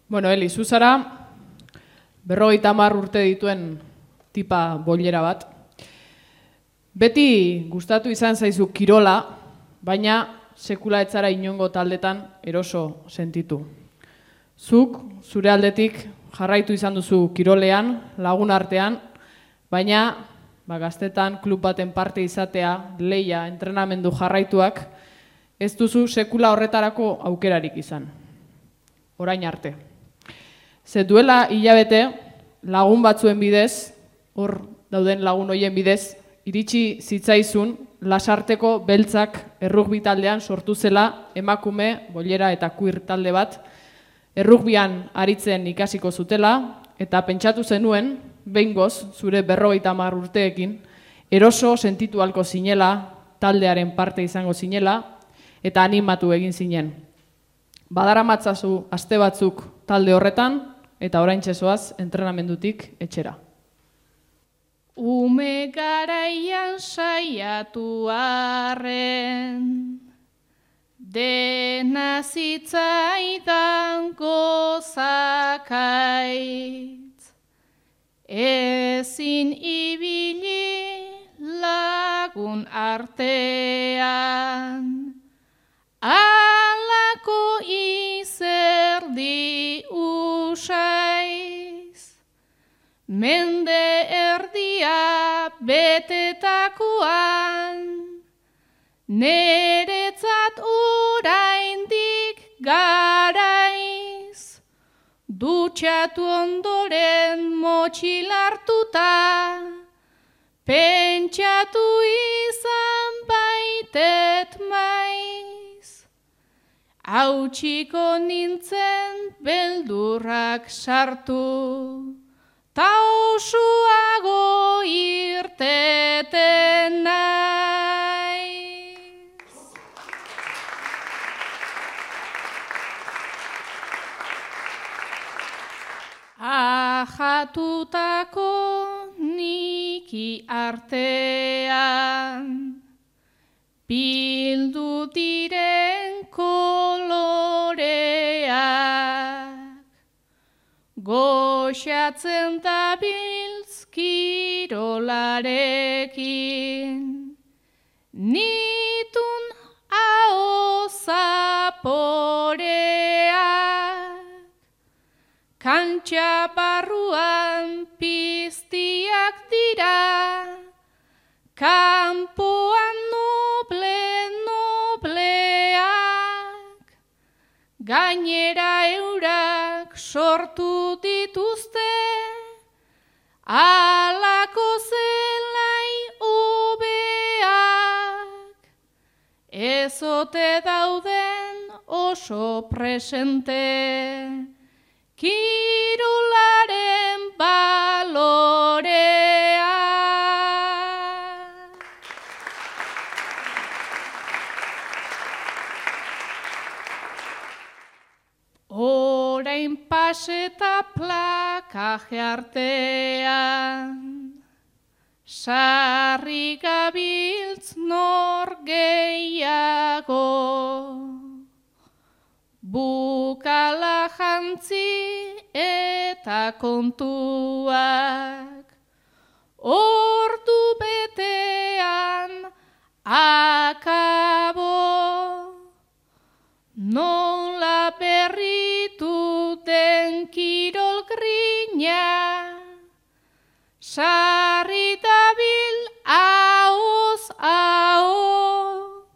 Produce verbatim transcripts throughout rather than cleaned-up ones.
Bueno, Eli, zu zara berrogeita hamar urte dituen tipa boilera bat. Beti gustatu izan zaizu kirola, baina sekula ez zara inongo taldetan eroso sentitu. Zuk, zure aldetik, jarraitu izan duzu kirolean, lagun artean, baina ba, gaztetan klub baten parte izatea, leia, entrenamendu jarraituak, ez duzu sekula horretarako aukerarik izan. Orain arte. Ze duela hilabete, lagun batzuen bidez, hor dauden lagun hoien bidez, iritsi zitzaizun Lasarteko Beltzak errugbi taldean sortu zela emakume, boilera eta queer talde bat, errugbian aritzen ikasiko zutela, eta pentsatu zenuen, behingoz, zure berrogeita hamar urteekin, eroso sentitu halko zinela, taldearen parte izango zinela, eta animatu egin zinen. Badaramatzazu aste batzuk talde horretan, eta oraintxe zoaz entrenamendutik etxera. Ume garaian saiatu arren, dena zitzaidan gozakaitz, ezin ibili lagun artean, alako izerdi usaiz, mende erdia betetakoan, neretzat oraindik garaiz, dutxatu ondoren motxilartuta, pentsatu izan baitet maiz. Hautsiko nintzen beldurrak sartu, ta osuago irteten naiz. Ajatutako niki artean, bildu diren koloreak, goxatzen dabiltz kirolarekin, nitun aho zaporeak, kantxa barruan piztiak dira, kanpoan noble-nobleak, gainera eurak sortu dituzte, alako zelai hobeak, ezote dauden oso presente, kirolaren balorea. Orain paseta plakaje artean, sarri gabiltz nor gehiago, bukala jantzi eta kontuak, ordu betean akabo, nola berritu den kirol grina, sarri dabil ahoz aho,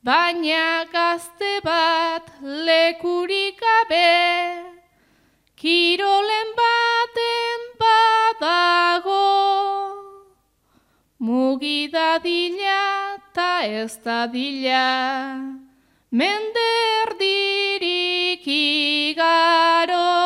baina gazte bat lekurik gabe, kirolen baten badago, mugi dadila ta ez dadila, mende erdirik igaro.